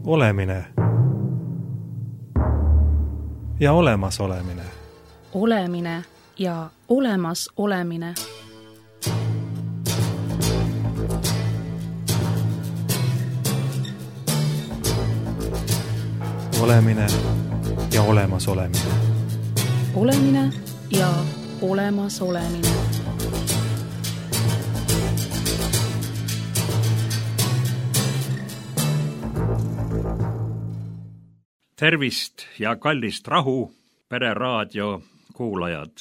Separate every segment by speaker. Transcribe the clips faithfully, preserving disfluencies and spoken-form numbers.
Speaker 1: Olemine ja olemas olemine.
Speaker 2: Olemine ja olemas olemine.
Speaker 1: Olemine ja olemas olemine.
Speaker 2: Olemine ja olemas olemine.
Speaker 3: Tervist ja kallist rahu, Pereraadio kuulajad.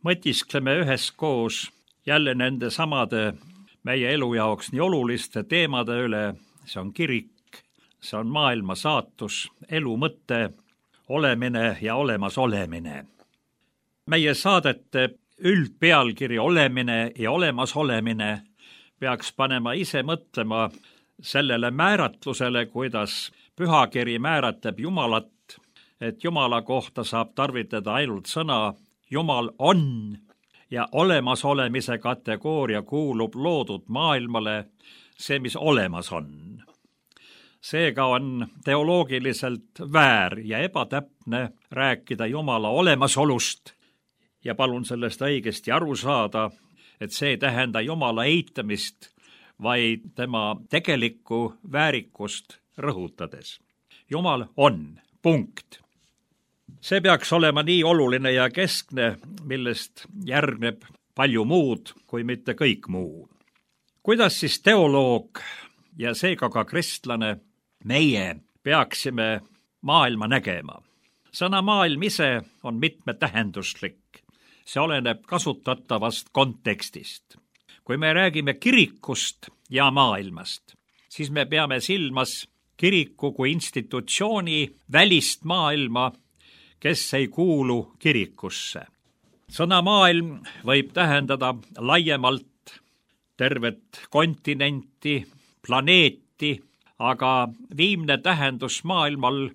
Speaker 3: Mõtiskleme üheskoos jälle nende samade meie elu jaoks nii oluliste teemade üle. See on kirik, see on maailma saatus, elu mõte, olemine ja olemas olemine. Meie saadete üldpealkiri olemine ja olemas olemine peaks panema ise mõtlema sellele määratlusele, kuidas pühakiri määratleb Jumalat, et Jumala kohta saab tarvitada ainult sõna Jumal on ja olemasolemise kategooria kuulub loodud maailmale, see, mis olemas on. Seega on teoloogiliselt väär ja ebatäpne rääkida Jumala olemasolust ja palun sellest õigesti aru saada, et see ei tähenda Jumala eitamist, vaid tema tegelikku väärikust rõhutades. Jumal on, punkt. See peaks olema nii oluline ja keskne, millest järgneb palju muud, kui mitte kõik muu. Kuidas siis teoloog ja seega ka kristlane meie peaksime maailma nägema? Sõna maailm ise on mitmetähenduslik. See oleneb kasutatavast kontekstist. Kui me räägime kirikust ja maailmast, siis me peame silmas kiriku kui institutsiooni välist maailma, kes ei kuulu kirikusse. Sõna maailm võib tähendada laiemalt tervet kontinenti, planeeti, aga viimne tähendus maailmal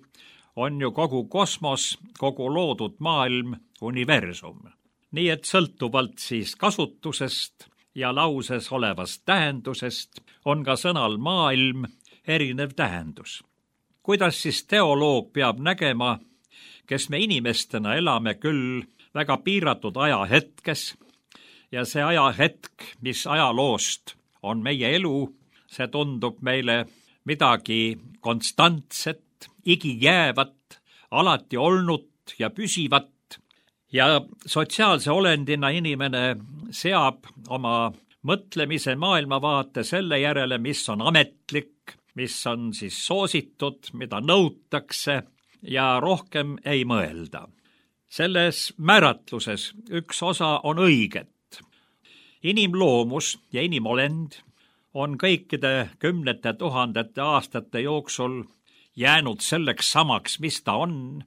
Speaker 3: on ju kogu kosmos, kogu loodud maailm, universum. Nii et sõltuvalt siis kasutusest ja lauses olevast tähendusest on ka sõnal maailm erinev tähendus. Kuidas siis teoloog peab nägema, kes me inimestena elame küll väga piiratud ajahetkes ja see ajahetk, mis ajaloost on meie elu, see tundub meile midagi konstantset, igijäävat, alati olnud ja püsivat ja sotsiaalse olendina inimene seab oma mõtlemise maailmavaate selle järele, mis on ametlik, mis on siis soositud, mida nõutakse ja rohkem ei mõelda. Selles määratluses üks osa on õiget. Inimloomus ja inimolend on kõikide kümnete tuhandete aastate jooksul jäänud selleks samaks, mis ta on.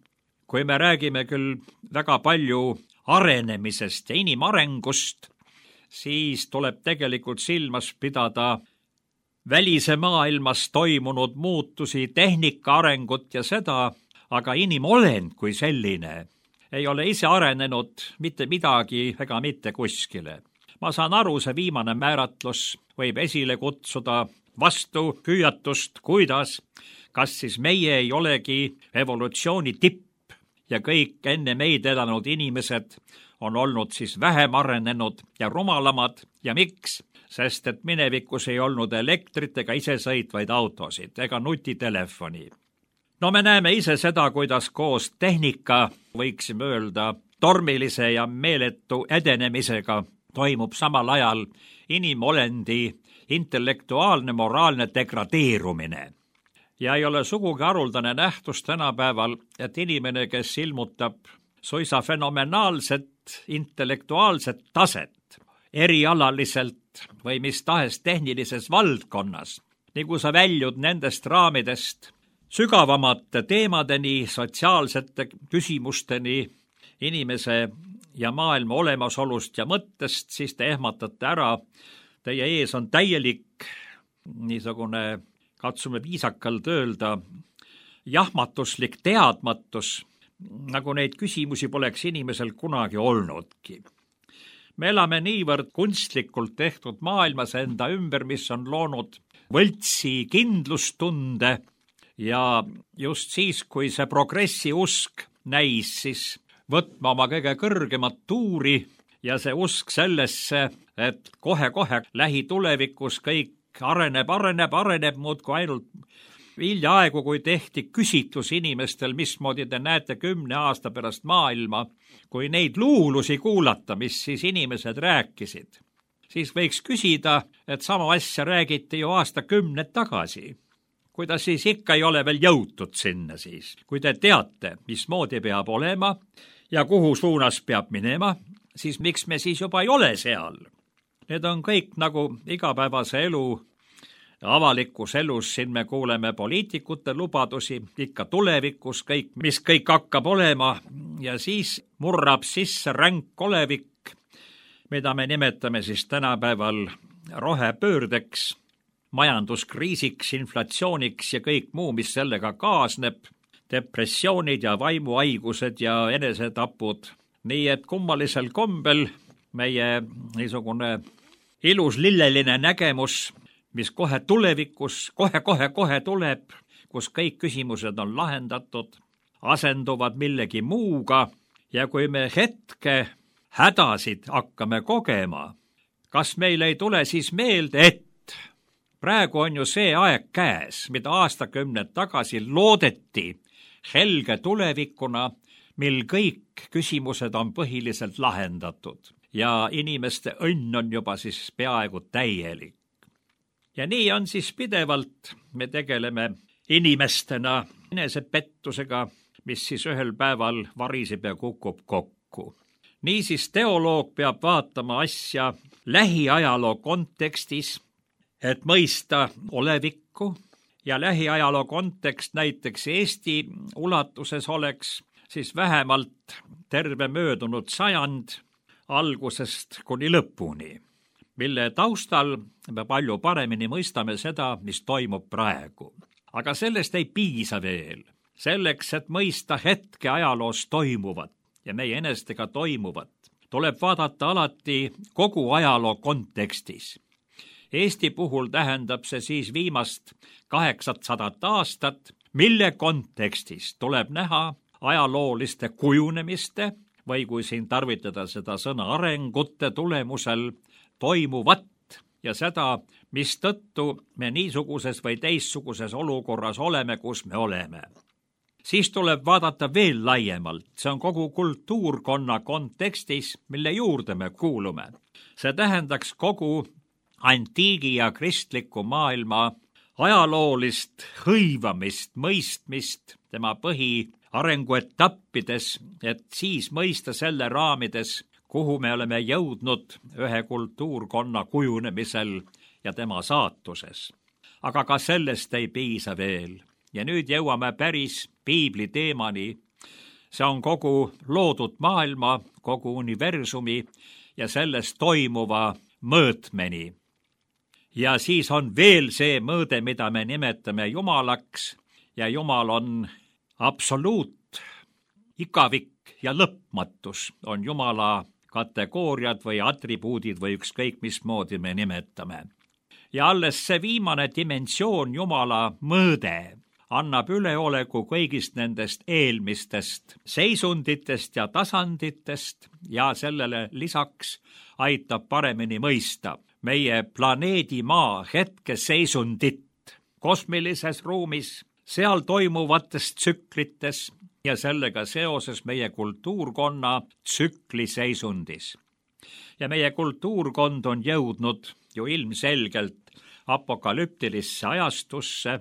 Speaker 3: Kui me räägime küll väga palju arenemisest ja inimarengust, siis tuleb tegelikult silmas pidada välise maailmas toimunud muutusi, tehnika arengut ja seda, aga inimolend kui selline ei ole ise arenenud mitte midagi ega mitte kuskile. Ma saan aru, see viimane määratlus võib esile kutsuda vastu hüüatust, kuidas, kas siis meie ei olegi evolutsiooni tipp ja kõik enne meid elanud inimesed on olnud siis vähem arenenud ja rumalamad ja miks? Sest et minevikus ei olnud elektrit ega isesõitvaid autosid ega nutitelefoni. No me näeme ise seda, kuidas koos tehnika, võiksime öelda, tormilise ja meeletu edenemisega toimub samal ajal inimolendi intellektuaalne moraalne degradeerumine. Ja ei ole sugugi haruldane nähtus tänapäeval, et inimene, kes ilmutab suisa fenomenaalset intellektuaalset taset erialaliselt või mis tahes tehnilises valdkonnas, nii kui sa väljud nendest raamidest sügavamate teemadeni, sotsiaalsete küsimusteni, inimese ja maailma olemasolust ja mõttest, siis te ehmatate ära. Teie ees on täielik, niisugune, katsume viisakalt öelda, jahmatuslik teadmatus, nagu neid küsimusi poleks inimesel kunagi olnudki. Me elame niivõrd kunstlikult tehtud maailmas enda ümber, mis on loonud võltsi kindlustunde ja just siis, kui see progressi usk näis siis võtma oma kõige kõrgemat tuuri ja see usk sellesse, et kohe-kohe lähitulevikus kõik areneb, areneb, areneb muudkui ainult hiljaaegu, kui tehti küsitlus inimestel, mismoodi te näete kümne aasta pärast maailma, kui neid luulusi kuulata, mis siis inimesed rääkisid, siis võiks küsida, et sama asja räägiti ju aastakümned tagasi. Kuidas siis ikka ei ole veel jõutud sinna siis? Kui te teate, mismoodi peab olema ja kuhu suunas peab minema, siis miks me siis juba ei ole seal? Need on kõik nagu igapäevase elu, avalikus elus, siin me kuuleme poliitikute lubadusi, ikka tulevikus kõik, mis kõik hakkab olema ja siis murrab sisse ränk olevik, mida me nimetame siis tänapäeval rohepöördeks, majanduskriisiks, inflatsiooniks ja kõik muu, mis sellega kaasneb, depressioonid ja vaimuhaigused ja enesetapud. Nii et kummalisel kombel meie niisugune ilus lilleline nägemus, mis kohe tulevikus, kohe-kohe-kohe tuleb, kus kõik küsimused on lahendatud, asenduvad millegi muuga ja kui me hetke hädasid hakkame kogema, kas meil ei tule siis meelde, et praegu on ju see aeg käes, mida aastakümned tagasi loodeti helge tulevikuna, mil kõik küsimused on põhiliselt lahendatud ja inimeste õnn on juba siis peaaegu täielik. Ja nii on siis pidevalt, me tegeleme inimestena enesepettusega, mis siis ühel päeval variseb ja kukub kokku. Niisiis teoloog peab vaatama asja lähiajaloo kontekstis, et mõista olevikku ja lähiajaloo kontekst näiteks Eesti ulatuses oleks siis vähemalt terve möödunud sajand algusest kuni lõpuni, mille taustal me palju paremini mõistame seda, mis toimub praegu. Aga sellest ei piisa veel. Selleks, et mõista hetke ajaloos toimuvat ja meie enestega toimuvat, tuleb vaadata alati kogu ajaloo kontekstis. Eesti puhul tähendab see siis viimast kaheksasadat aastat, mille kontekstis tuleb näha ajalooliste kujunemiste või kui siin tarvitada seda sõna arengute tulemusel toimuvat ja seda, mis tõttu me niisuguses või teistsuguses olukorras oleme, kus me oleme. Siis tuleb vaadata veel laiemalt, see on kogu kultuurkonna kontekstis, mille juurde me kuulume. See tähendaks kogu antiigi ja kristliku maailma ajaloolist hõivamist, mõistmist tema põhiarenguetappides, et siis mõista selle raamides, kuhu me oleme jõudnud ühe kultuurkonna kujunemisel ja tema saatuses. Aga ka sellest ei piisa veel. Ja nüüd jõuame päris piibli teemani. See on kogu loodud maailma, kogu universumi ja selles toimuva mõõtmeni. Ja siis on veel see mõõde, mida me nimetame Jumalaks ja Jumal on absoluut, igavik ja lõpmatus on Jumala kategooriad või atribuudid või ükskõik mismoodi me nimetame. Ja alles see viimane dimensioon Jumala mõõde annab üleoleku kõigist nendest eelmistest seisunditest ja tasanditest ja sellele lisaks aitab paremini mõista meie planeedi Maa hetkeseisundit kosmilises ruumis, seal toimuvates tsüklites ja sellega seoses meie kultuurkonna tsükliseisundis. Ja meie kultuurkond on jõudnud ju ilmselgelt apokalüptilisse ajastusse.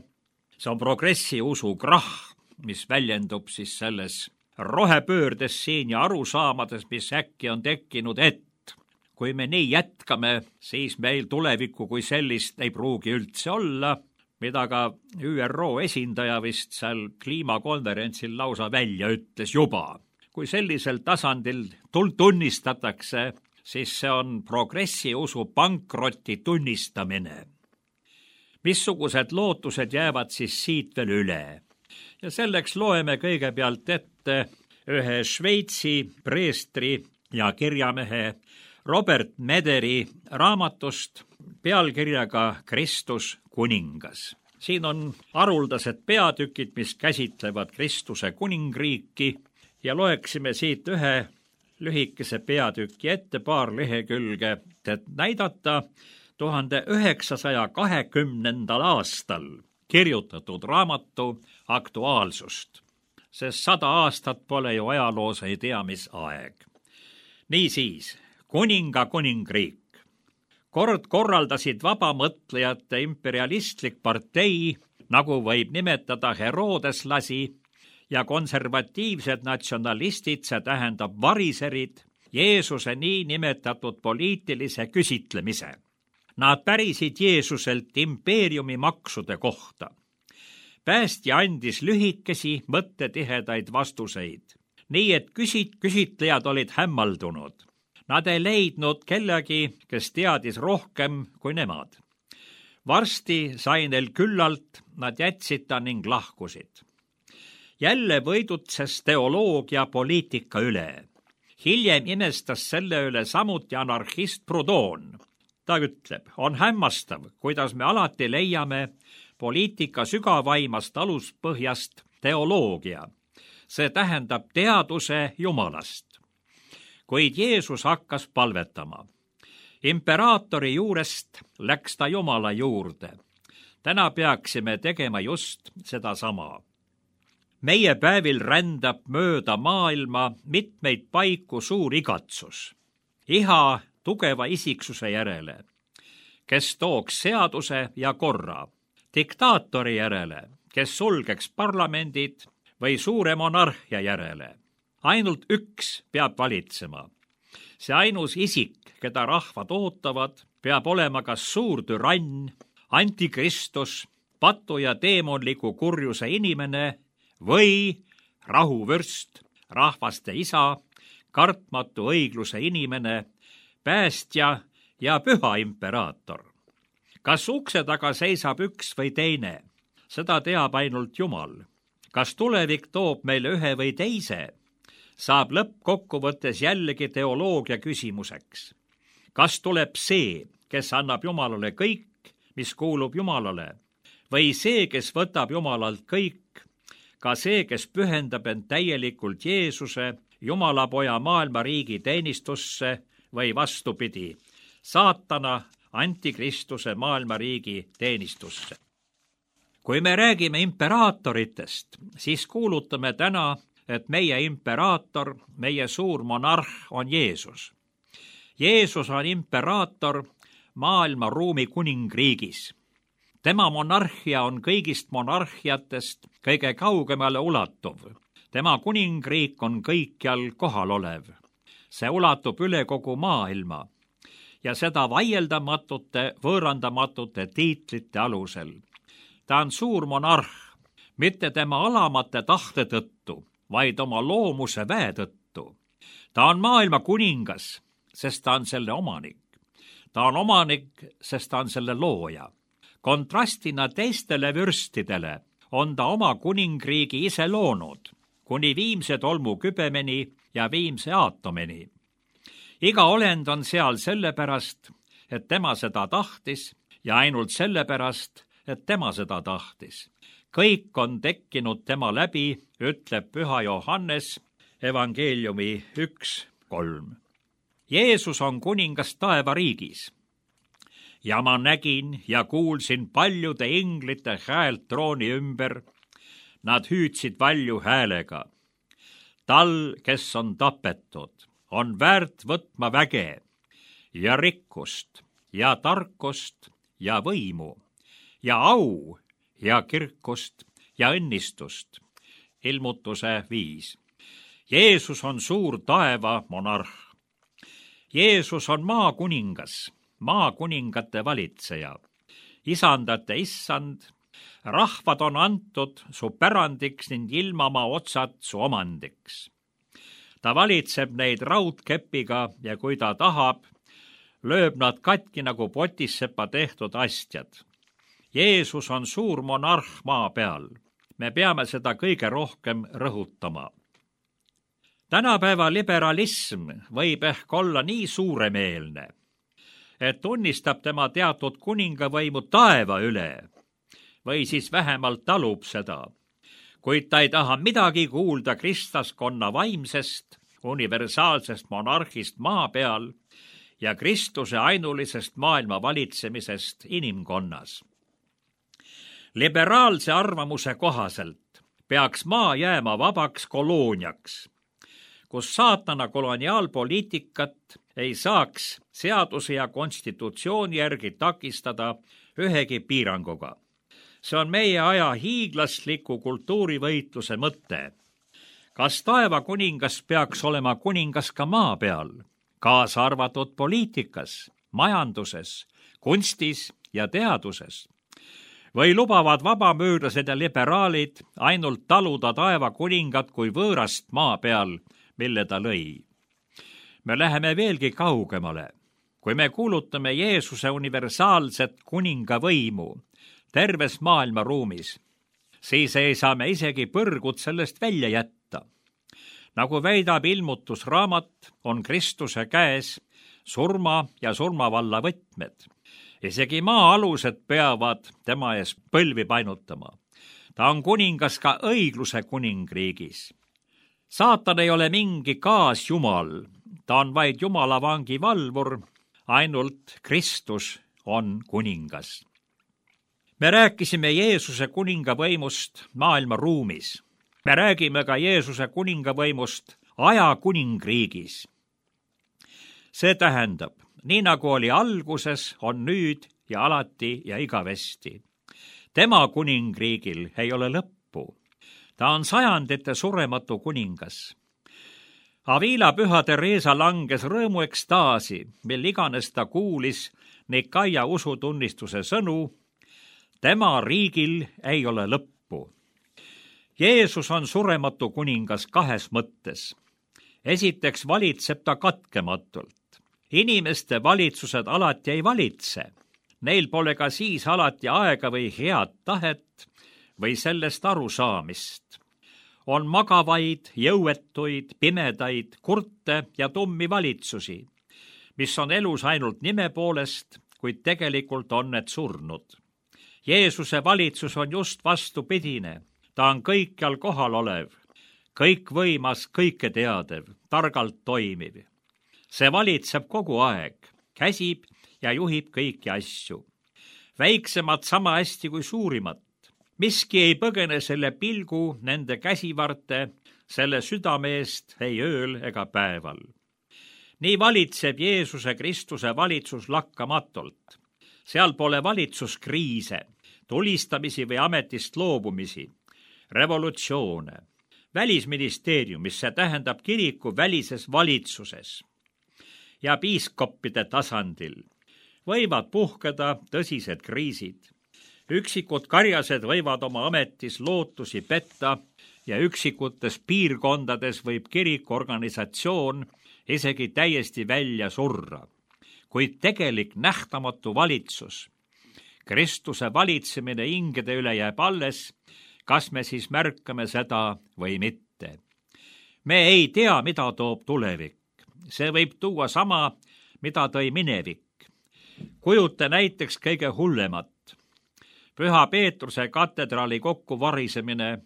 Speaker 3: See on progressi usu krahh, mis väljendub siis selles rohepöördes siin ja arusaamades, mis äkki on tekkinud, et kui me nii jätkame, siis meil tulevikku kui sellist ei pruugi üldse olla, mida ka Ü R O esindaja vist seal kliimakonverentsil lausa välja ütles juba. Kui sellisel tasandil tunnistatakse, siis see on progressi usu pankroti tunnistamine. Missugused lootused jäävad siis siit veel üle? Ja selleks loeme kõigepealt ette ühe Šveitsi preestri ja kirjamehe Robert Mederi raamatust pealkirjaga Kristus kuningas. siin on haruldased peatükid, mis käsitlevad Kristuse kuningriiki ja loeksime siit ühe lühikese peatüki ette, paar lehekülge, et näidata tuhande üheksasaja kahekümnendal aastal kirjutatud raamatu aktuaalsust, sest sada aastat pole ju ajaloos ei tea mis aeg. Niisiis, kuninga kuningriik. Kord korraldasid vabamõtlejate imperialistlik partei, nagu võib nimetada herodeslasi, ja konservatiivsed natsionalistid, see tähendab variserid, Jeesuse nii nimetatud poliitilise küsitlemise. Nad pärisid Jeesuselt impeeriumi maksude kohta. Päästja andis lühikesi, mõttetihedaid vastuseid, nii et küsit- küsitlejad olid hämmaldunud. Nad ei leidnud kellegi, kes teadis rohkem kui nemad. Varsti sai neil küllalt, nad jätsid ta ning lahkusid. Jälle võidutses teoloogia poliitika üle. Hiljem imestas selle üle samuti anarhist Proudhon. Ta ütleb, on hämmastav, kuidas me alati leiame poliitika sügavaimast aluspõhjast teoloogia. See tähendab teaduse Jumalast. Kuid Jeesus hakkas palvetama. Imperaatori juurest läks ta Jumala juurde. Täna peaksime tegema just sedasama. Meie päevil rändab mööda maailma mitmeid paiku suur igatsus. Iha tugeva isiksuse järele, kes tooks seaduse ja korra, diktaatori järele, kes sulgeks parlamendid või suure monarhia järele. Ainult üks peab valitsema. See ainus isik, keda rahvad ootavad, peab olema kas suur türann, antikristus, patu ja teemonliku kurjuse inimene või rahuvürst, rahvaste isa, kartmatu õigluse inimene, päästja ja püha imperaator. Kas ukse taga seisab üks või teine, seda teab ainult Jumal. Kas tulevik toob meile ühe või teise, saab lõppkokkuvõttes jällegi teoloogia küsimuseks. Kas tuleb see, kes annab Jumalale kõik, mis kuulub Jumalale, või see, kes võtab Jumalalt kõik, ka see, kes pühendab end täielikult Jeesuse, Jumala poja maailma riigi teenistusse või vastupidi, saatana antikristuse maailma riigi teenistusse. Kui me räägime imperaatoritest, siis kuulutame täna, et meie imperaator, meie suur monarh on Jeesus. Jeesus on imperaator maailma ruumi kuningriigis. Tema monarhia on kõigist monarhiatest kõige kaugemale ulatuv. Tema kuningriik on kõikjal kohal olev. See ulatub üle kogu maailma ja seda vaieldamatute, võõrandamatute tiitlite alusel. Ta on suur monarh, mitte tema alamate tahte tõttu, vaid oma loomuse väe tõttu. Ta on maailma kuningas, sest ta on selle omanik. Ta on omanik, sest ta on selle looja. Kontrastina teistele vürstidele on ta oma kuningriigi ise loonud, kuni viimse tolmu kübemeni ja viimse aatomeni. Iga olend on seal sellepärast, et tema seda tahtis ja ainult sellepärast, et tema seda tahtis. Kõik on tekkinud tema läbi, ütleb püha Johannes, evangeeliumi üks kolm. Jeesus on kuningas taevariigis. Ja ma nägin ja kuulsin paljude inglite häält trooni ümber. Nad hüüdsid valju häälega. Tal, kes on tapetud, on väärt võtma väge ja rikkust ja tarkust ja võimu ja au ja kirkust ja õnnistust. Ilmutuse viis. Jeesus on suur taeva monarh. Jeesus on maakuningas, maakuningate valitseja. Isandate issand, rahvad on antud su pärandiks ning ilmamaa otsad su omandiks. Ta valitseb neid raudkepiga ja kui ta tahab, lööb nad katki nagu potissepa tehtud astjad. Jeesus on suur monarh maa peal. Me peame seda kõige rohkem rõhutama. Tänapäeva liberalism võib ehk olla nii suuremeelne, et tunnistab tema teatud kuningavõimu taeva üle, või siis vähemalt talub seda. Kuid ta ei taha midagi kuulda kristlaskonna vaimsest, universaalsest monarhist maa peal ja Kristuse ainulisest maailma valitsemisest inimkonnas. Liberaalse arvamuse kohaselt peaks maa jääma vabaks kolooniaks, kus saatana koloniaalpoliitikat ei saaks seaduse ja konstitutsiooni järgi takistada ühegi piiranguga. See on meie aja hiiglasliku kultuurivõitluse mõte. Kas taeva kuningas peaks olema kuningas ka maa peal, kaasa arvatud poliitikas, majanduses, kunstis ja teaduses? Või lubavad vabamüürlased ja liberaalid ainult taluda taeva kuningat kui võõrast maa peal, mille ta lõi? Me läheme veelgi kaugemale. Kui me kuulutame Jeesuse universaalset kuningavõimu terves maailma ruumis, siis ei saa me isegi põrgut sellest välja jätta. Nagu väidab ilmutusraamat, on Kristuse käes surma ja surmavalla võtmed. Isegi maa-alused peavad tema ees põlvi painutama. Ta on kuningas ka õigluse kuningriigis. Saatan ei ole mingi kaasjumal, ta on vaid Jumala vangi valvur, ainult Kristus on kuningas. Me rääkisime Jeesuse kuningavõimust maailma ruumis. Me räägime ka Jeesuse kuningavõimust aja kuningriigis. See tähendab, nii nagu oli alguses, on nüüd ja alati ja igavesti. Tema kuningriigil ei ole lõppu. Ta on sajandite surematu kuningas. Avila püha Teresa langes rõõmu ekstaasi, mil iganes ta kuulis Nikaia usutunnistuse sõnu. Tema riigil ei ole lõppu. Jeesus on surematu kuningas kahes mõttes. Esiteks valitseb ta katkematult. Inimeste valitsused alati ei valitse. Neil pole ka siis alati aega või head tahet või sellest arusaamist. On magavaid, jõuetuid, pimedaid, kurte ja tummi valitsusi, mis on elus ainult nime poolest, kuid tegelikult on need surnud. Jeesuse valitsus on just vastupidine. Ta on kõikjal kohal olev, kõikvõimas, kõike teadev, targalt toimiv. See valitseb kogu aeg, käsib ja juhib kõiki asju. Väiksemad sama hästi kui suurimat. Miski ei põgene selle pilgu nende käsivarte, selle südame eest ei ööl ega päeval. Nii valitseb Jeesuse Kristuse valitsus lakkamatult. Seal pole valitsuskriise, tulistamisi või ametist loobumisi, revolutsioone. Välisministeeriumis, see tähendab kiriku välises valitsuses ja piiskoppide tasandil võivad puhkeda tõsised kriisid. Üksikud karjased võivad oma ametis lootusi petta ja üksikutes piirkondades võib kirikuorganisatsioon isegi täiesti välja surra. Kuid tegelik nähtamatu valitsus, Kristuse valitsemine hingede üle jääb alles, kas me siis märkame seda või mitte. Me ei tea, mida toob tulevik. See võib tuua sama, mida tõi minevik. Kujuta näiteks kõige hullemat. Püha Peetruse katedraali kokkuvarisemine,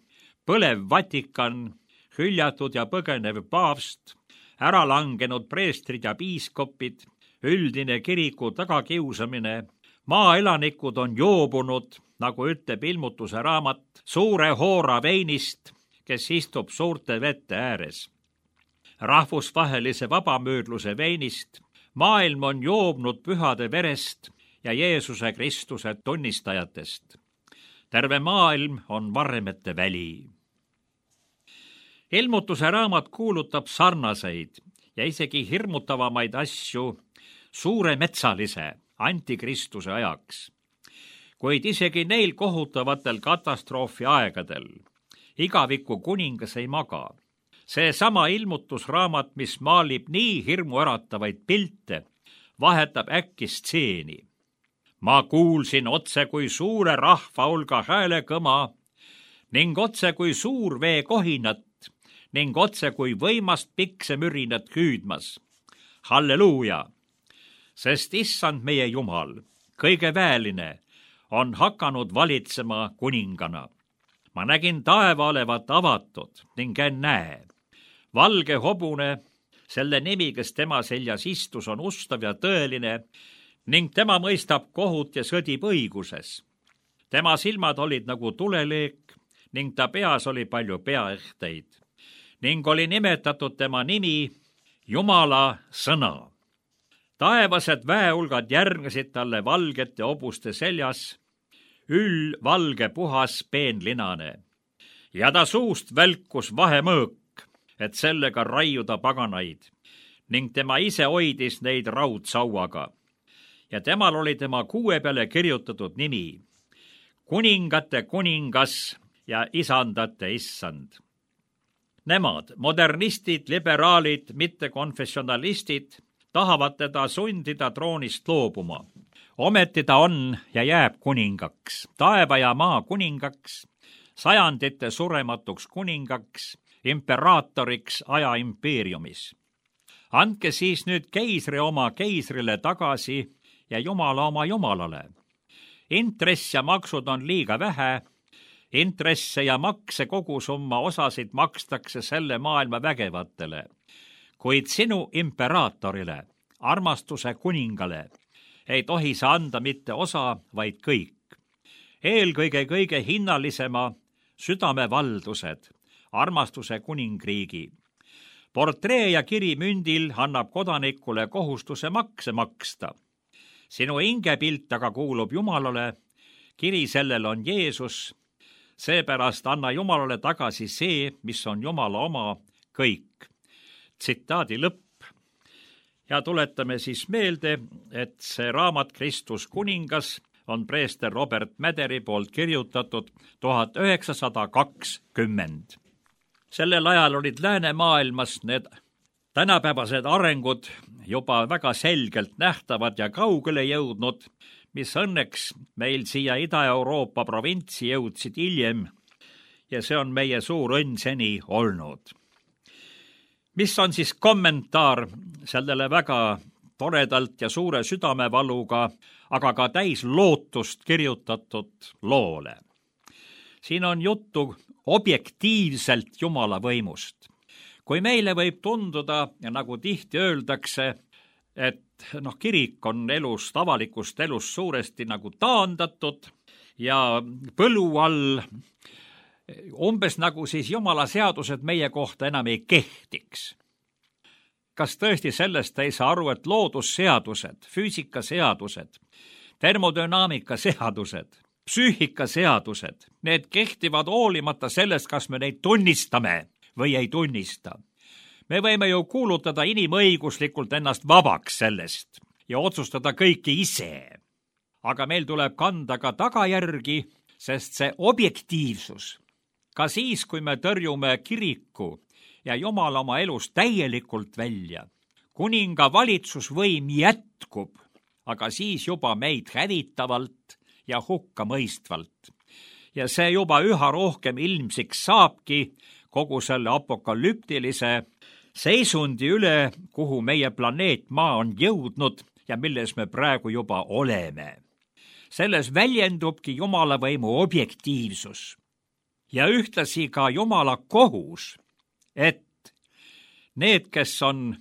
Speaker 3: põlev Vatikan, hüljatud ja põgenev paavst, äralangenud preestrid ja piiskopid, üldine kiriku tagakiusamine, maaelanikud on joobunud, nagu ütleb ilmutuse raamat, suure hoora veinist, kes istub suurte vete ääres. Rahvusvahelise vabamüürluse veinist, maailm on joobnud pühade verest ja Jeesuse Kristuse tunnistajatest. Terve maailm on varremete väli. Ilmutuse raamat kuulutab sarnaseid ja isegi hirmutavamaid asju suure metsalise antikristuse ajaks. Kuid isegi neil kohutavatel katastroofi aegadel igaviku kuningas ei maga. See sama ilmutusraamat, mis maalib nii hirmuäratavaid pilte, vahetab äkki stseeni. Ma kuulsin otse kui suure rahva hulga hääle kõma ning otse kui suur vee kohinat ning otse kui võimast piksemürinat hüüdmas. Halleluuja! Sest issand meie Jumal, kõige väeline, on hakanud valitsema kuningana. Ma nägin taeva olevat avatud ning ennäe, valge hobune, selle nimi, kes tema seljas istus, on ustav ja tõeline ning tema mõistab kohut ja sõdib õiguses. Tema silmad olid nagu tuleleek ning ta peas oli palju peaehteid ning oli nimetatud tema nimi Jumala sõna. Taevased väeulgad järgnesid talle valgete hobuste seljas, üll valge puhas peenlinane. Ja ta suust välkus vahemõõk, et sellega raiuda paganaid, ning tema ise hoidis neid raudsauaga. Ja temal oli tema kuue peale kirjutatud nimi, kuningate kuningas ja isandate issand. Nemad, modernistid, liberaalid, mittekonfessionalistid, tahavad teda sundida troonist loobuma. Ometi ta on ja jääb kuningaks, taeva ja maa kuningaks, sajandite surematuks kuningaks, imperaatoriks aja impeeriumis. Andke siis nüüd keisri oma keisrile tagasi ja Jumala oma Jumalale. Intress ja maksud on liiga vähe, intresse ja makse kogusumma osasid makstakse selle maailma vägevatele, kuid sinu imperaatorile, armastuse kuningale, ei tohi sa anda mitte osa, vaid kõik. Eelkõige kõige hinnalisema südamevaldused, armastuse kuningriigi. Portree ja kiri mündil annab kodanikule kohustuse makse maksta. Sinu hingepilt aga kuulub Jumalale, kiri sellel on Jeesus, seepärast anna Jumalale tagasi see, mis on Jumala oma, kõik. Tsitaadi lõpp. Ja tuletame siis meelde, et see raamat Kristus kuningas on preester Robert Mäderi poolt kirjutatud tuhat üheksasada kakskümmend. Sellel ajal olid läänemaailmas need tänapäevased arengud juba väga selgelt nähtavad ja kaugele jõudnud, mis õnneks meil siia Ida-Euroopa provintsi jõudsid hiljem ja see on meie suur õnn seni olnud. Mis on siis kommentaar sellele väga toredalt ja suure südamevaluga, aga ka täis lootust kirjutatud loole? Siin on juttu objektiivselt Jumala võimust. Kui meile võib tunduda, ja nagu tihti öeldakse, et noh, kirik on elust, avalikust elust suuresti nagu taandatud ja põlu all, umbes nagu siis Jumala seadused meie kohta enam ei kehtiks. Kas tõesti sellest ei saa aru, et loodusseadused, füüsikaseadused, termodünaamika seadused, psüühikaseadused, need kehtivad hoolimata sellest, kas me neid tunnistame või ei tunnista. Me võime ju kuulutada inimõiguslikult ennast vabaks sellest ja otsustada kõike ise. Aga meil tuleb kanda ka tagajärgi, sest see objektiivsus, ka siis, kui me tõrjume kiriku ja Jumal oma elus täielikult välja, kuninga valitsusvõim jätkub, aga siis juba meid hävitavalt ja hukka mõistvalt. Ja see juba üha rohkem ilmsiks saabki kogu selle apokalüptilise seisundi üle, kuhu meie planeet Maa on jõudnud ja milles me praegu juba oleme. Selles väljendubki Jumala võimu objektiivsus ja ühtlasi ka Jumala kohus, et need, kes on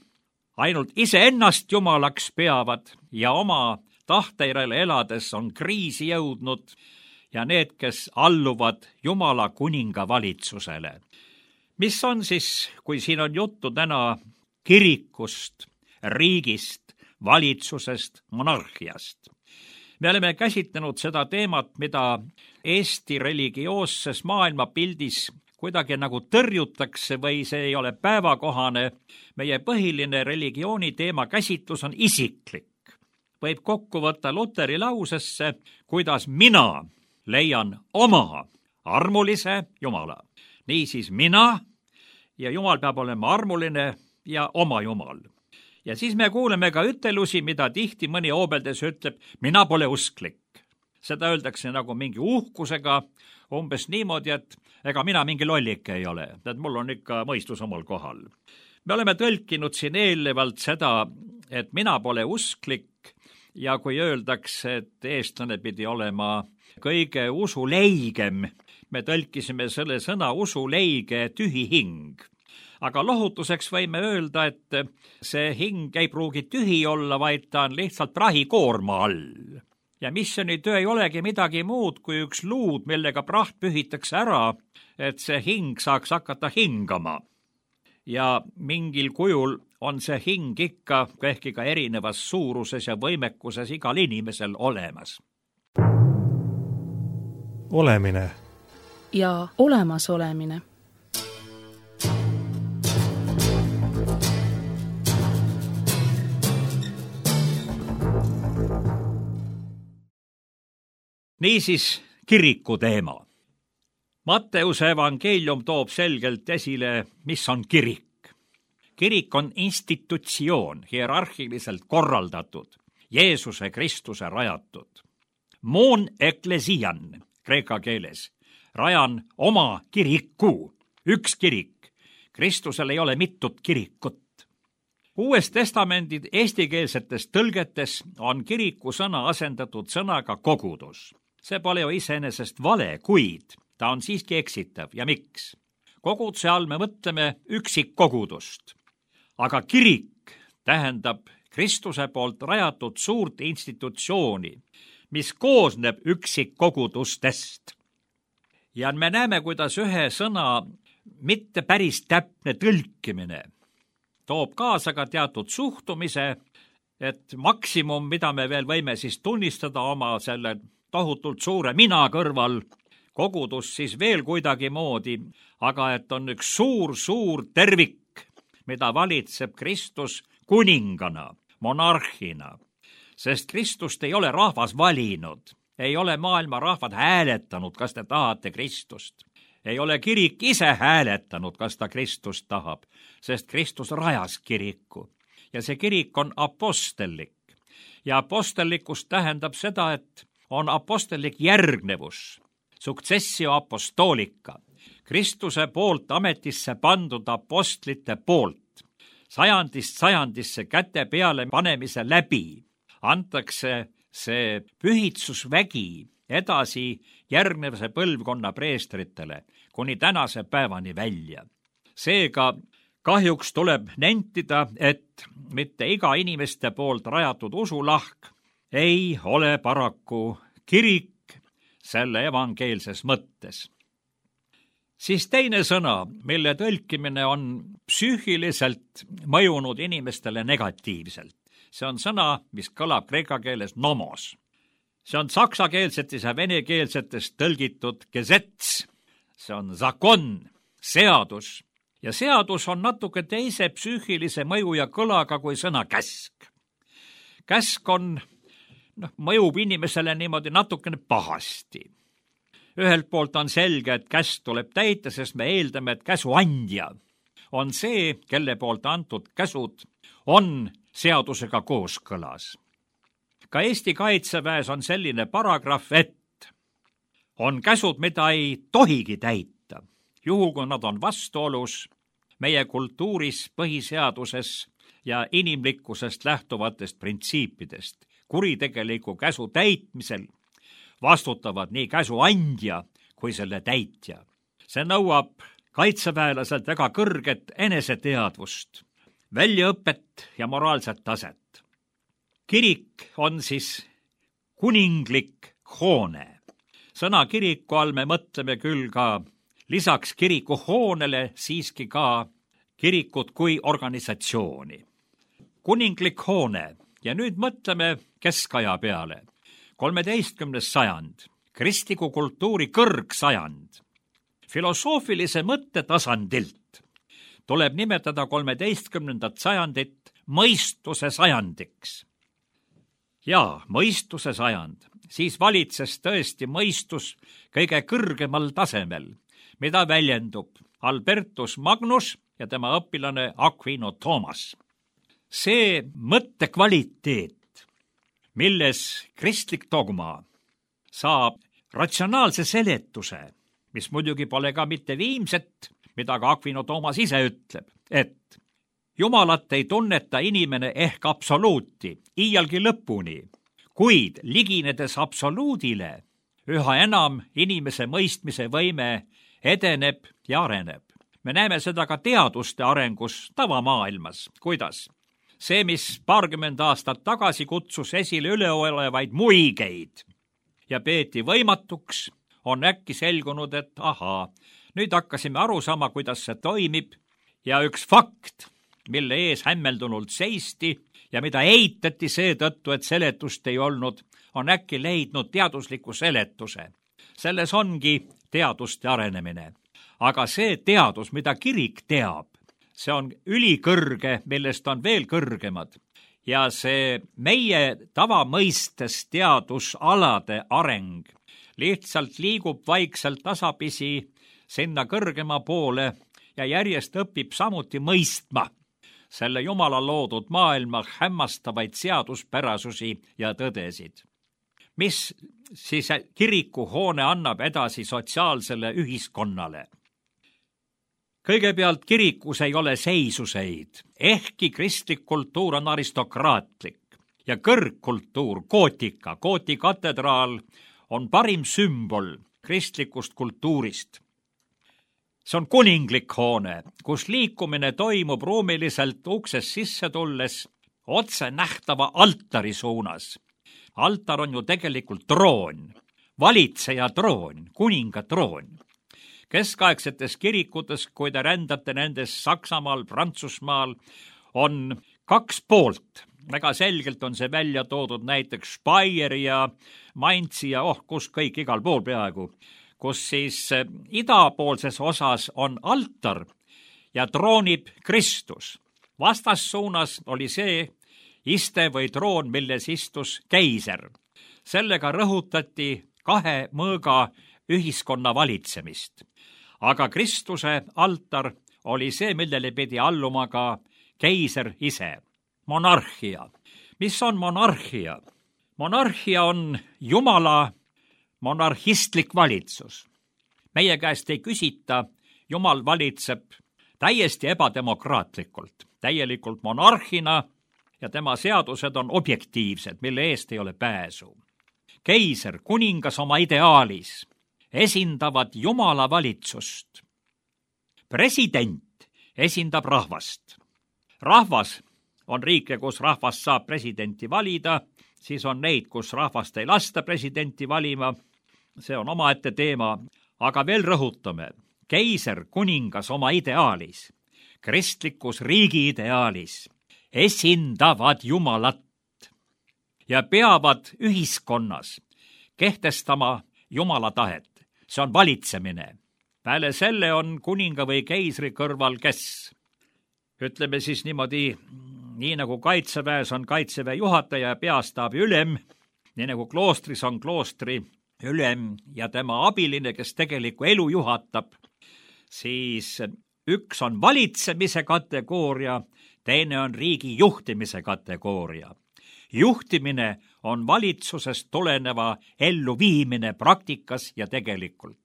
Speaker 3: ainult iseennast Jumalaks peavad ja oma tahteirele elades on kriisi jõudnud ja need, kes alluvad Jumala kuninga valitsusele. Mis on siis, kui siin on juttu täna kirikust, riigist, valitsusest, monarhiast? Me oleme käsitlenud seda teemat, mida Eesti religioosses maailmapildis kuidagi nagu tõrjutakse või see ei ole päevakohane. Meie põhiline religiooni teema käsitlus on isiklik. Võib kokku võtta Luteri lausesse, kuidas mina leian oma armulise Jumala. Niisiis mina ja Jumal peab olema armuline ja oma Jumal. Ja siis me kuuleme ka ütelusi, mida tihti mõni hoobeldes ütleb, mina pole usklik. Seda öeldakse nagu mingi uhkusega, umbes niimoodi, et ega mina mingi lollik ei ole, et mul on ikka mõistus omal kohal. Me oleme tõlkinud siin eelnevalt seda, et mina pole usklik ja kui öeldakse, et eestlane pidi olema kõige usuleigem. Me tõlkisime selle sõna usuleige tühi hing. Aga lohutuseks võime öelda, et see hing ei pruugi tühi olla, vaid ta on lihtsalt prahikoorma all. Ja missioonitöö ei olegi midagi muud kui üks luud, millega praht pühitakse ära, et see hing saaks hakata hingama. Ja mingil kujul on see hing ikka, ehkki ka erinevas suuruses ja võimekuses igal inimesel olemas.
Speaker 1: Olemine
Speaker 2: ja olemasolemine.
Speaker 3: Niisiis kiriku teema. Matteuse evangeelium toob selgelt esile, mis on kirik. Kirik on institutsioon, hierarhiliselt korraldatud, Jeesuse Kristuse rajatud. Mon eklesian, kreeka keeles, rajan oma kiriku, üks kirik. Kristusel ei ole mitut kirikut. Uues testamendi eestikeelsetes tõlgetes on kiriku sõna asendatud sõnaga kogudus. See pole ju iseenesest vale, kuid ta on siiski eksitav. Ja miks? Koguduse all me mõtleme üksikkogudust. Aga kirik tähendab Kristuse poolt rajatud suurt institutsiooni, mis koosneb üksikkogudustest. Ja me näeme, kuidas ühe sõna mitte päris täpne tõlkimine toob kaasa ka teatud suhtumise, et maksimum, mida me veel võime siis tunnistada oma selle tohutult suure mina kõrval, kogudus siis veel kuidagi moodi, aga et on üks suur-suur tervik, mida valitseb Kristus kuningana, monarhina. Sest Kristust ei ole rahvas valinud, ei ole maailma rahvad hääletanud, kas te tahate Kristust. Ei ole kirik ise hääletanud, kas ta Kristust tahab, sest Kristus rajas kiriku. Ja see kirik on apostellik. Ja apostellikus tähendab seda, et on apostellik järgnevus, successio apostolika, Kristuse poolt ametisse pandud apostlite poolt. Sajandist sajandisse käte peale panemise läbi antakse see pühitsusvägi edasi järgnevase põlvkonna preestritele kuni tänase päevani välja. Seega kahjuks tuleb nentida, et mitte iga inimeste poolt rajatud usulahk ei ole paraku kirik selle evangeelses mõttes. Siis teine sõna, mille tõlkimine on psüühiliselt mõjunud inimestele negatiivselt. See on sõna, mis kõlab kreeka keeles nomos. See on saksakeelsetes ja venekeelsetes tõlgitud gesets. See on zakon, seadus. Ja seadus on natuke teise psüühilise mõju ja kõlaga kui sõna käsk. Käsk on, noh, mõjub inimesele niimoodi natukene pahasti. Ühelt poolt on selge, et käsk tuleb täita, sest me eeldame, et käsuandja on see, kelle poolt antud käsud on seadusega kooskõlas. Ka Eesti Kaitseväes on selline paragrahv, et on käsud, mida ei tohigi täita, juhul kui nad on vastuolus meie kultuuris, põhiseaduses ja inimlikkusest lähtuvatest printsiipidest. Kuritegeliku käsu täitmisel vastutavad nii käsu andja kui selle täitja. See nõuab kaitseväelaselt väga kõrget eneseteadvust, väljaõpet ja moraalset taset. Kirik on siis kuninglik hoone. Sõna kiriku all me mõtleme küll ka lisaks kiriku hoonele siiski ka kirikut kui organisatsiooni. Kuninglik hoone ja nüüd mõtleme keskaja peale. kolmeteistkümnes sajand, kristliku kultuuri kõrgsajand. Filosoofilise mõtte tasandilt tuleb nimetada kolmeteistkümnendat sajandit mõistuse sajandiks. Ja mõistuse sajand, siis valitses tõesti mõistus kõige kõrgemal tasemel, mida väljendub Albertus Magnus ja tema õpilane Aquino Thomas. See mõttekvaliteet, milles kristlik dogma saab ratsionaalse seletuse, mis muidugi pole ka mitte viimset, mida ka Aquino Thomas ise ütleb, et Jumalat ei tunneta inimene ehk absoluuti, iialgi lõpuni, kuid liginedes absoluudile üha enam inimese mõistmise võime edeneb ja areneb. Me näeme seda ka teaduste arengus tavamaailmas. Kuidas? See, mis paarkümmend aastat tagasi kutsus esile üleolevaid muigeid ja peeti võimatuks, on äkki selgunud, et ahaa, nüüd hakkasime aru saama, kuidas see toimib ja üks fakt, mille ees hämmeldunult seisti ja mida eitati seetõttu, et seletust ei olnud, on äkki leidnud teadusliku seletuse. Selles ongi teaduste arenemine. Aga see teadus, mida kirik teab, see on ülikõrge, millest on veel kõrgemad. Ja see meie tavamõistes teadusalade areng lihtsalt liigub vaikselt tasapisi sinna kõrgema poole ja järjest õpib samuti mõistma selle Jumala loodud maailma hämmastavaid seaduspärasusi ja tõdesid. Mis siis kirikuhoone annab edasi sotsiaalsele ühiskonnale? Kõigepealt kirikus ei ole seisuseid, ehkki kristlik kultuur on aristokraatlik ja kõrgkultuur, gootika, Gooti katedraal on parim sümbol kristlikust kultuurist. See on kuninglik hoone, kus liikumine toimub ruumiliselt uksest sisse tulles otse nähtava altari suunas. Altar on ju tegelikult troon, valitseja troon, kuninga troon. Keskaegsetes kirikutes, kui te rändate nendes Saksamaal, Prantsusmaal, on kaks poolt. Väga selgelt on see välja toodud näiteks Speyer ja Mainzi ja oh, kus kõik igal pool peaaegu, kus siis idapoolses osas on altar ja troonib Kristus. Vastassuunas oli see iste või troon, milles istus keiser. Sellega rõhutati kahe mõõga ühiskonna valitsemist. Aga Kristuse altar oli see, millele pidi alluma ka keiser ise. Monarhia. Mis on monarhia? Monarhia on Jumala monarhistlik valitsus. Meie käest ei küsita, Jumal valitseb täiesti ebademokraatlikult, täielikult monarhina ja tema seadused on objektiivsed, mille eest ei ole pääsu. Keiser, kuningas oma ideaalis esindavad Jumala valitsust. President esindab rahvast. Rahvas on riike, kus rahvas saab presidenti valida, siis on neid, kus rahvast ei lasta presidenti valima. See on omaette teema, aga veel rõhutame. Keiser, kuningas oma ideaalis, kristlikus riigi ideaalis esindavad Jumalat ja peavad ühiskonnas kehtestama Jumala tahet. See on valitsemine. Peale selle on kuninga või keisri kõrval kes? Ütleme siis niimoodi, nii nagu kaitseväes on kaitseväe juhataja ja peastaabi ülem, nii nagu kloostris on kloostri ülem ja tema abiline, kes tegelikku elu juhatab, siis üks on valitsemise kategooria, teine on riigi juhtimise kategooria. Juhtimine on valitsusest tuleneva elluviimine praktikas ja tegelikult.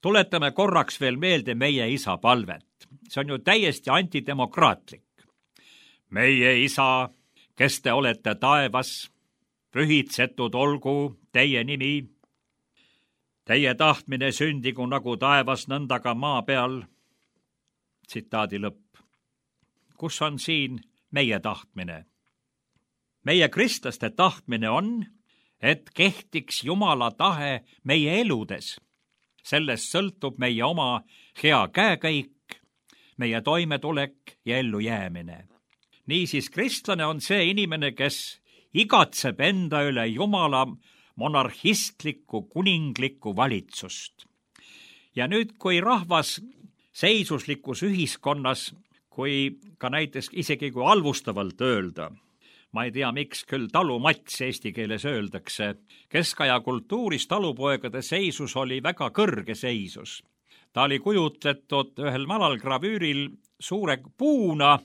Speaker 3: Tuletame korraks veel meelde meie isa palvet. See on ju täiesti antidemokraatlik. Meie isa, kes te olete taevas, pühitsetud olgu teie nimi. Teie tahtmine sündigu nagu taevas, nõnda ka maa peal. Tsitaadi lõpp. Kus on siin meie tahtmine? Meie kristlaste tahtmine on, et kehtiks Jumala tahe meie eludes. Sellest sõltub meie oma hea käekäik, meie toimetulek ja ellujäämine. Niisiis, kristlane on see inimene, kes igatseb enda üle Jumala monarhistlikku kuninglikku valitsust. Ja nüüd, kui rahvas seisuslikus ühiskonnas, kui ka näiteks isegi kui halvustavalt öelda, ma ei tea, miks küll talumats eesti keeles öeldakse, keskaja kultuuris talupoegade seisus oli väga kõrge seisus. Ta oli kujutletud ühel malalgravüüril suure puuna,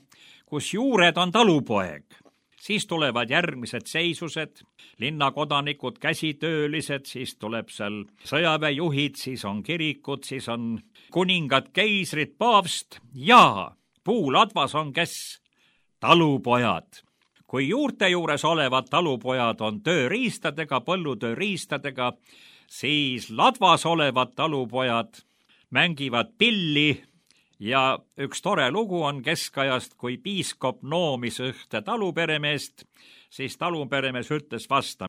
Speaker 3: kus juured on talupoeg. Siis tulevad järgmised seisused, linnakodanikud, käsitöölised, siis tuleb seal sõjaväejuhid, siis on kirikud, siis on kuningad, keisrid, paavst ja puuladvas on kes? Talupojad. kui juurte juures olevad talupojad on tööriistadega, põllutööriistadega, siis ladvas olevad talupojad mängivad pilli ja üks tore lugu on keskajast, kui piiskop noomis ühte taluperemeest, siis taluperemees ütles vastu: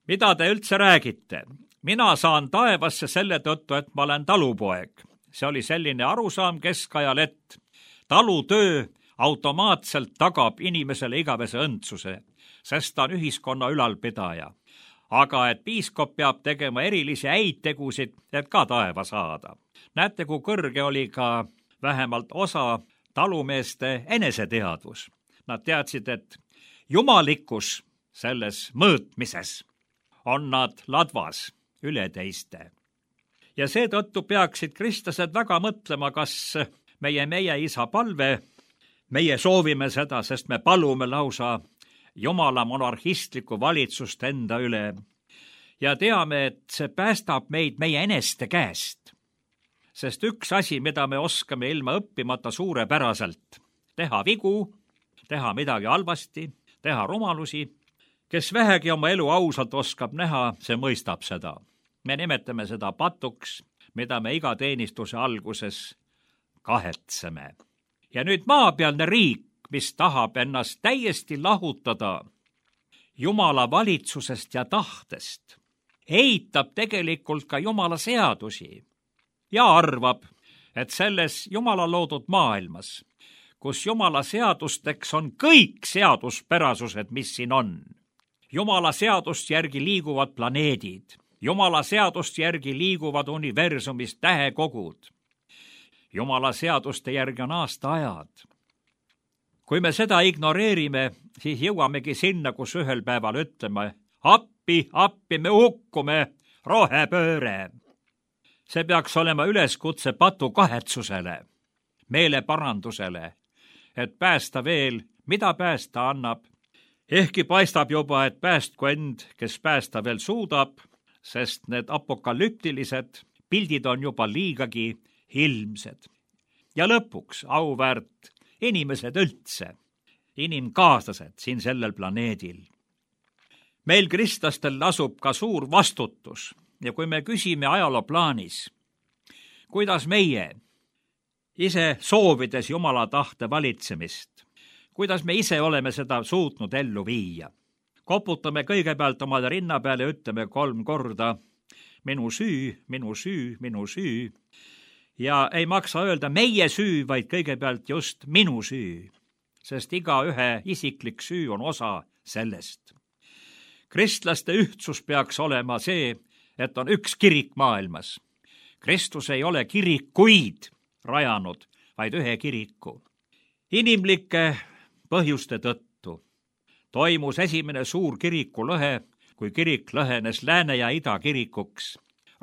Speaker 3: mida te üldse räägite? Mina saan taevasse selle tõttu, et ma olen talupoeg. See oli selline arusaam keskajal, et talutöö automaatselt tagab inimesele igavese õndsuse, sest ta on ühiskonna ülalpidaja. Aga et piiskop peab tegema erilisi häid tegusid, et ka taeva saada. Näete, kui kõrge oli ka vähemalt osa talumeeste eneseteadvus. Nad teadsid, et jumalikkus selles mõõtmises on nad ladvas üle teiste. Ja seetõttu peaksid kristlased väga mõtlema, kas meie meie isa palve, meie soovime seda, sest me palume lausa Jumala monarhistlikku valitsust enda üle ja teame, et see päästab meid meie eneste käest. Sest üks asi, mida me oskame ilma õppimata suurepäraselt, teha vigu, teha midagi halvasti, teha rumalusi. Kes vähegi oma elu ausalt oskab näha, see mõistab seda. Me nimetame seda patuks, mida me iga teenistuse alguses kahetseme. Ja nüüd maapealne riik, mis tahab ennast täiesti lahutada Jumala valitsusest ja tahtest, eitab tegelikult ka Jumala seadusi ja arvab, et selles Jumala loodud maailmas, kus Jumala seadusteks on kõik seaduspärasused, mis siin on. Jumala seadust järgi liiguvad planeedid, Jumala seadust järgi liiguvad universumist tähekogud. Jumala seaduste järgi on aastaajad. Kui me seda ignoreerime, siis jõuamegi sinna, kus ühel päeval ütleme: appi, appi, me hukkume, rohepööre. See peaks olema üleskutse patu kahetsusele, meeleparandusele, et päästa veel, mida päästa annab. Ehkki paistab juba, et päästku end, kes päästa veel suudab, sest need apokalüptilised pildid on juba liigagi ilmsed. Ja lõpuks auväärt inimesed üldse, inimkaaslased siin sellel planeedil. Meil kristlastel lasub ka suur vastutus ja kui me küsime ajalooplaanis, kuidas meie ise soovides Jumala tahte valitsemist, kuidas me ise oleme seda suutnud ellu viia, koputame kõigepealt omale rinna peale ja ütleme kolm korda: minu süü, minu süü, minu süü. Ja ei maksa öelda meie süü, vaid kõigepealt just minu süü, sest iga ühe isiklik süü on osa sellest. Kristlaste ühtsus peaks olema see, et on üks kirik maailmas. Kristus ei ole kirikuid rajanud, vaid ühe kiriku. Inimlike põhjuste tõttu toimus esimene suur kirikulõhe, kui kirik lõhenes lääne ja ida kirikuks,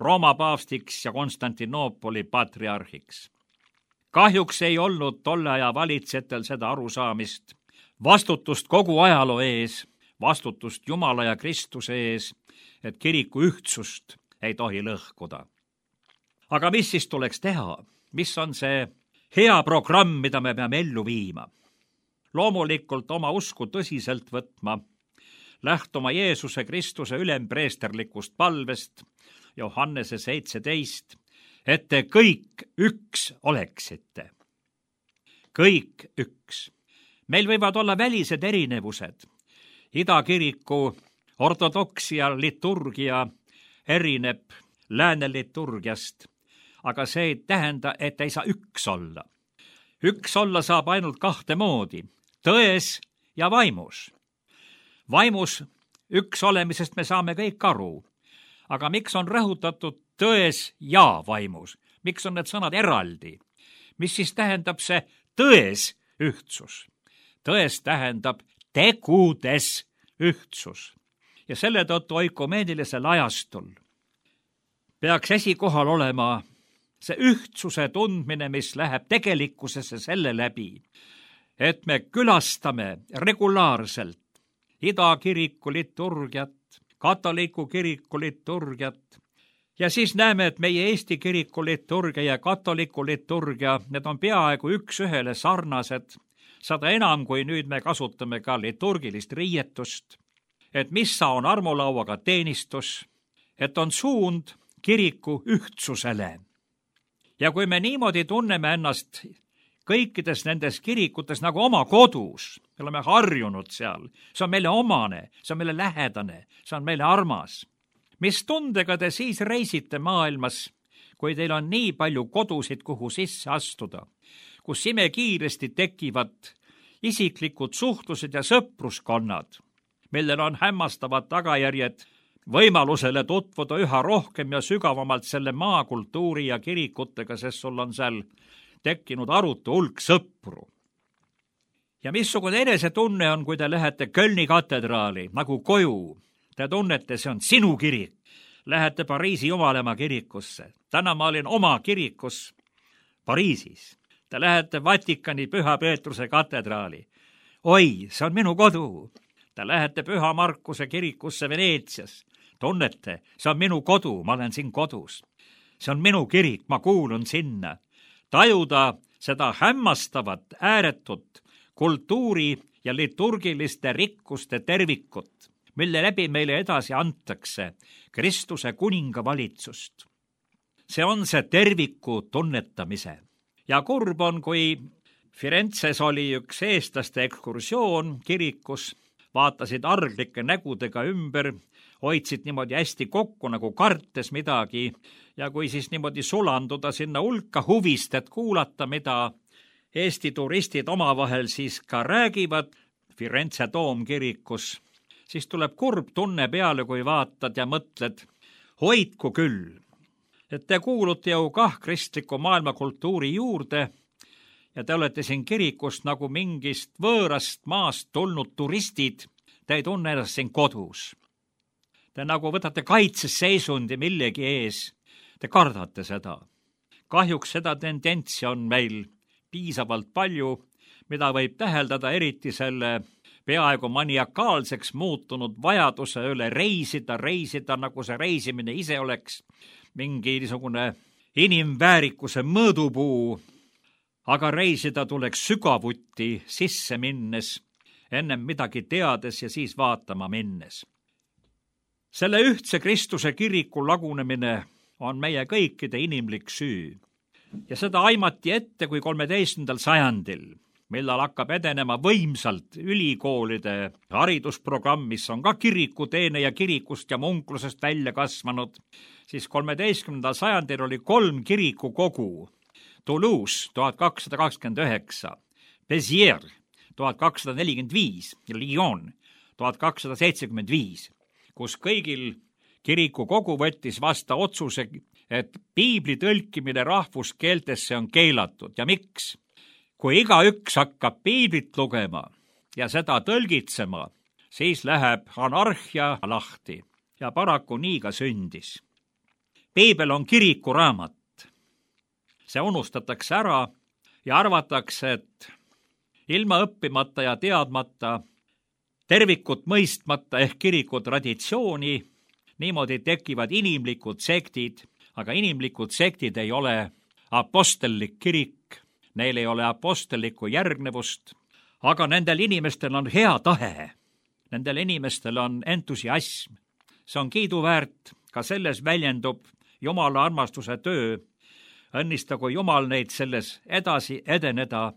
Speaker 3: Rooma paavstiks ja Konstantinoopoli patriarhiks. Kahjuks ei olnud tolle aja valitsejatel seda arusaamist, vastutust kogu ajaloo ees, vastutust Jumala ja Kristuse ees, et kiriku ühtsust ei tohi lõhkuda. Aga mis siis tuleks teha? Mis on see hea programm, mida me peame ellu viima? Loomulikult oma usku tõsiselt võtma, lähtuma Jeesuse Kristuse ülempreesterlikust palvest, Johannese seitseteist, et te kõik üks oleksite. Kõik üks. Meil võivad olla välised erinevused. Idakiriku ortodoksia liturgia erineb lääne liturgiast, aga see ei tähenda, et ei saa üks olla. Üks olla saab ainult kahte moodi, tões ja vaimus. Vaimus üks olemisest me saame kõik aru. Aga miks on rõhutatud tões ja vaimus? Miks on need sõnad eraldi? Mis siis tähendab see tões ühtsus? Tões tähendab tegudes ühtsus. Ja selle tõttu oikumeenilisel ajastul peaks esikohal olema see ühtsuse tundmine, mis läheb tegelikkusesse selle läbi, et me külastame regulaarselt idakiriku liturgiat, katoliku kiriku liturgiat ja siis näeme, et meie Eesti kiriku liturgia ja katoliku liturgia, need on peaaegu üks ühele sarnased, Sada enam, kui nüüd me kasutame ka liturgilist riietust, et missa on armulauaga teenistus, et on suund kiriku ühtsusele. Ja kui me niimoodi tunneme ennast kõikides nendes kirikutes nagu oma kodus, me oleme harjunud seal, see on meile omane, see on meile lähedane, see on meile armas. Mis tundega te siis reisite maailmas, kui teil on nii palju kodusid, kuhu sisse astuda, kus imekiiresti tekivad isiklikud suhtlused ja sõpruskonnad, millel on hämmastavad tagajärjed võimalusele tutvuda üha rohkem ja sügavamalt selle maakultuuri ja kirikutega, sest sul on seal tekkinud arutu hulk sõpru. Ja missugune enesetunne on, kui te lähete Kölni katedraali nagu koju. Te tunnete, see on sinu kirik. Lähete Pariisi Jumalamaa kirikusse. Täna ma olin oma kirikus Pariisis. Te lähete Vatikani Püha Peetruse katedraali. Oi, see on minu kodu. Te lähete Püha Markuse kirikusse Veneetsias. Tunnete, see on minu kodu, ma olen siin kodus. See on minu kirik, ma kuulun sinna. Tajuda seda hämmastavat, ääretut kultuuri ja liturgiliste rikkuste tervikut, mille läbi meile edasi antakse Kristuse kuninga valitsust. See on see terviku tunnetamise. Ja kurb on, kui Firenzes oli üks eestlaste ekskursioon kirikus, vaatasid arglike nägudega ümber, hoidsid niimoodi hästi kokku, nagu kartes midagi, ja kui siis niimoodi sulanduda sinna hulka huvist, et kuulata, mida Eesti turistid omavahel siis ka räägivad Firenze toomkirikus, siis tuleb kurb tunne peale, kui vaatad ja mõtled, hoidku küll, et te kuulute ju kah kristliku maailmakultuuri juurde ja te olete siin kirikust nagu mingist võõrast maast tulnud turistid, te ei tunne ennast siin kodus. Te nagu võtate kaitseseisundi millegi ees, te kardate seda. Kahjuks seda tendentsi on meil piisavalt palju, mida võib täheldada eriti selle peaaegu maniakaalseks muutunud vajaduse üle reisida, reisida, nagu see reisimine ise oleks mingi niisugune inimväärikuse mõõdupuu, aga reisida tuleks sügavuti sisse minnes, ennem midagi teades ja siis vaatama minnes. Selle ühtse Kristuse kiriku lagunemine on meie kõikide inimlik süü. Ja seda aimati ette kui kolmeteistkümnendal sajandil, millal hakkab edenema võimsalt ülikoolide haridusprogramm, mis on ka kirikuteene ja kirikust ja munklusest välja kasvanud, siis kolmeteistkümnendal sajandil oli kolm kirikukogu. Toulouse tuhat kakssada kakskümmend üheksa, Béziers tuhat kakssada nelikümmend viis ja Lyon tuhat kakssada seitsekümmend viis, kus kõigil kirikukogu võttis vasta otsuse, et piibli tõlkimine rahvuskeeltesse on keelatud. Ja miks? Kui igaüks hakkab piiblit lugema ja seda tõlgitsema, siis läheb anarhia lahti ja paraku nii ka sündis. Piibel on kirikuraamat. See unustatakse ära ja arvatakse, et ilma õppimata ja teadmata, tervikut mõistmata ehk kiriku traditsiooni, niimoodi tekivad inimlikud sektid, aga inimlikud sektid ei ole apostellik kirik, neil ei ole apostellikku järgnevust, aga nendel inimestel on hea tahe, nendel inimestel on entusiasm. See on kiiduväärt, ka selles väljendub Jumala armastuse töö. Õnnistagu Jumal neid selles edasi edeneda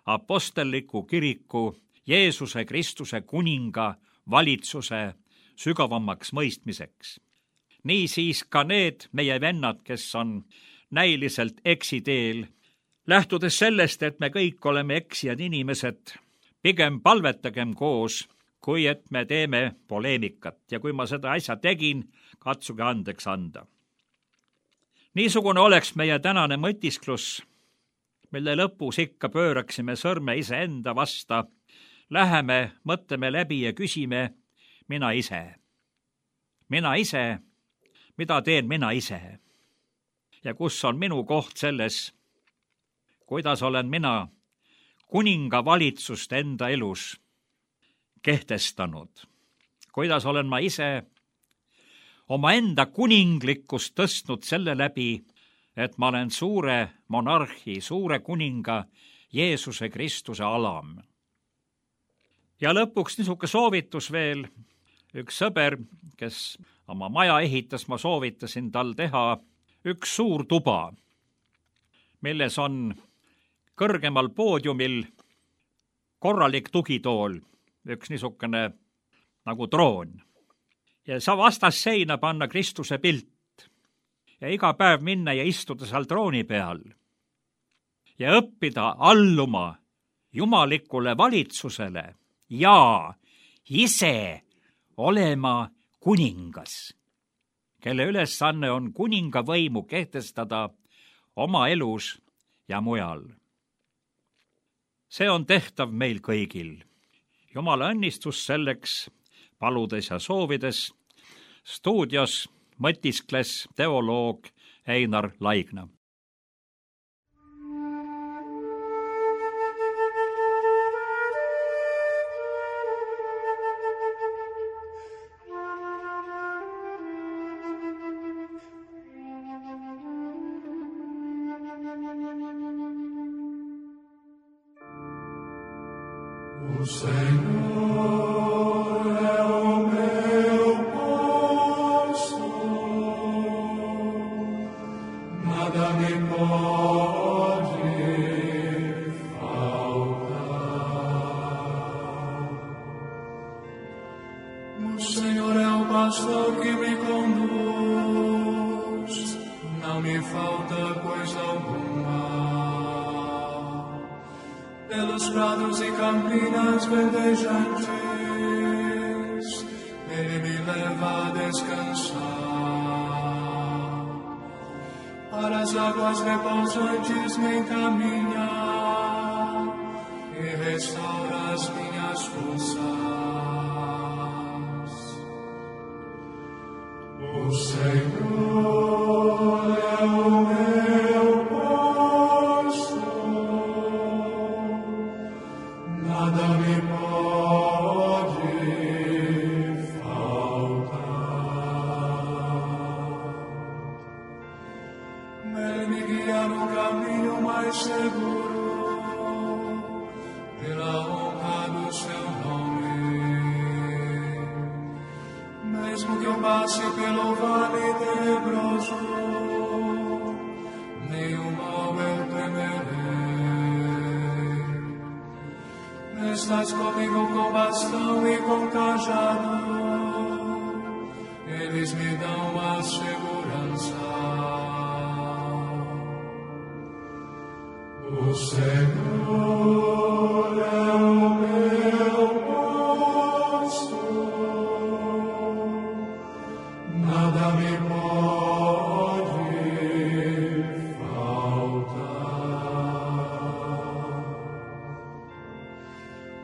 Speaker 3: apostelliku kiriku, Jeesuse Kristuse kuninga valitsuse sügavamaks mõistmiseks. Nii siis ka need meie vennad, kes on näiliselt eksiteel, lähtudes sellest, et me kõik oleme eksijad inimesed, pigem palvetagem koos, kui et me teeme poleemikat ja kui ma seda asja tegin, katsuge andeks anda. Niisugune oleks meie tänane mõtisklus, mille lõpus ikka pööraksime sõrme iseenda vasta, läheme, mõtleme läbi ja küsime, mina ise. Mina ise, mida teen mina ise? Ja kus on minu koht selles, kuidas olen mina kuninga valitsust enda elus kehtestanud? Kuidas olen ma ise oma enda kuninglikkust tõstnud selle läbi, et ma olen suure monarhi, suure kuninga Jeesuse Kristuse alam. Ja lõpuks niisugune soovitus veel. Üks sõber, kes oma maja ehitas, ma soovitasin tal teha üks suur tuba, milles on kõrgemal poodiumil korralik tugitool, üks niisugune nagu troon. Ja sa vastas seina panna Kristuse pilt ja iga päev minna ja istuda seal trooni peal ja õppida alluma jumalikule valitsusele ja ise olema kuningas, kelle ülesanne on kuninga võimu kehtestada oma elus ja mujal. See on tehtav meil kõigil. Jumala õnnistus selleks paludes ja soovides. Stuudios mõtiskles teoloog Einar Laigna.
Speaker 4: O Senhor é o meu pastor, nada me pode faltar. O Senhor é o pastor que me conduz, não me falta coisa alguma. Pelos prados e campinas verdejantes, Ele me leva a descansar. Para as águas repousantes me encaminha e restaura as minhas forças. O Senhor é o meu nada me pode faltar. Ele me guia no caminho mais seguro, pela honra do seu nome. Mesmo que eu passe pelo vale tenebroso, nenhum mal eu temerei. Estás comigo com bastão e com cajado, eles me dão a segurança. O Senhor é o meu pastor, nada me pode faltar.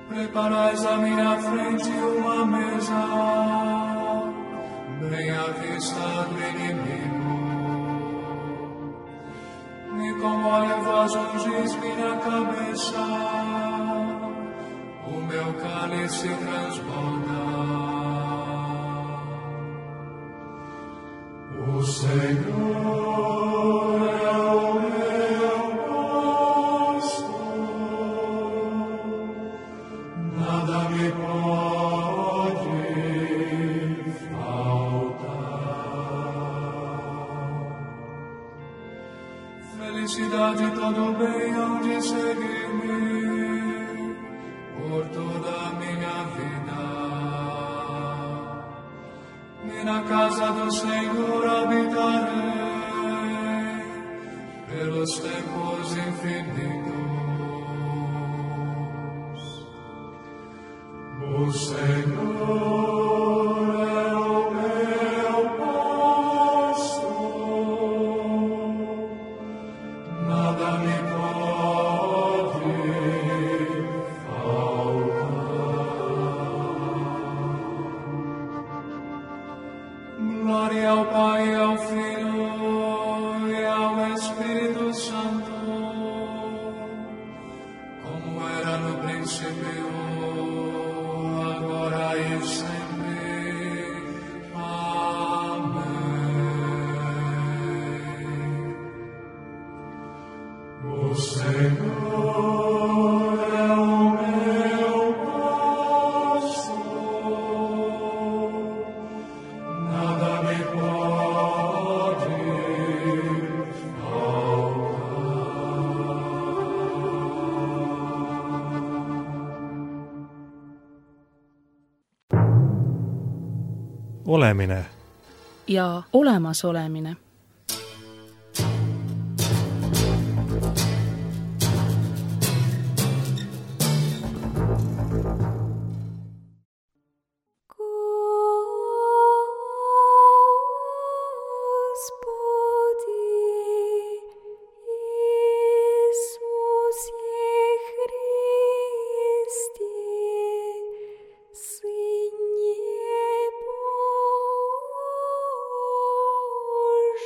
Speaker 4: Preparais à minha frente uma mesa, bem à vista do inimigo. E com óleo vós ungis minha cabeça, o meu cálice transborda. O Senhor é o meu pastor, nada me pode faltar. Felicidade e todo bem hão de seguir-me por toda a minha vida. E na casa do Senhor habitarei pelos tempos infinitos. O Senhor é o meu pastor, nada me pode faltar. Glória ao Pai, e ao Filho e ao Espírito Santo, como era no princípio, agora e sempre. Amém. O Senhor
Speaker 1: olemine
Speaker 2: ja olemasolemine.
Speaker 5: Божий.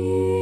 Speaker 5: Amen.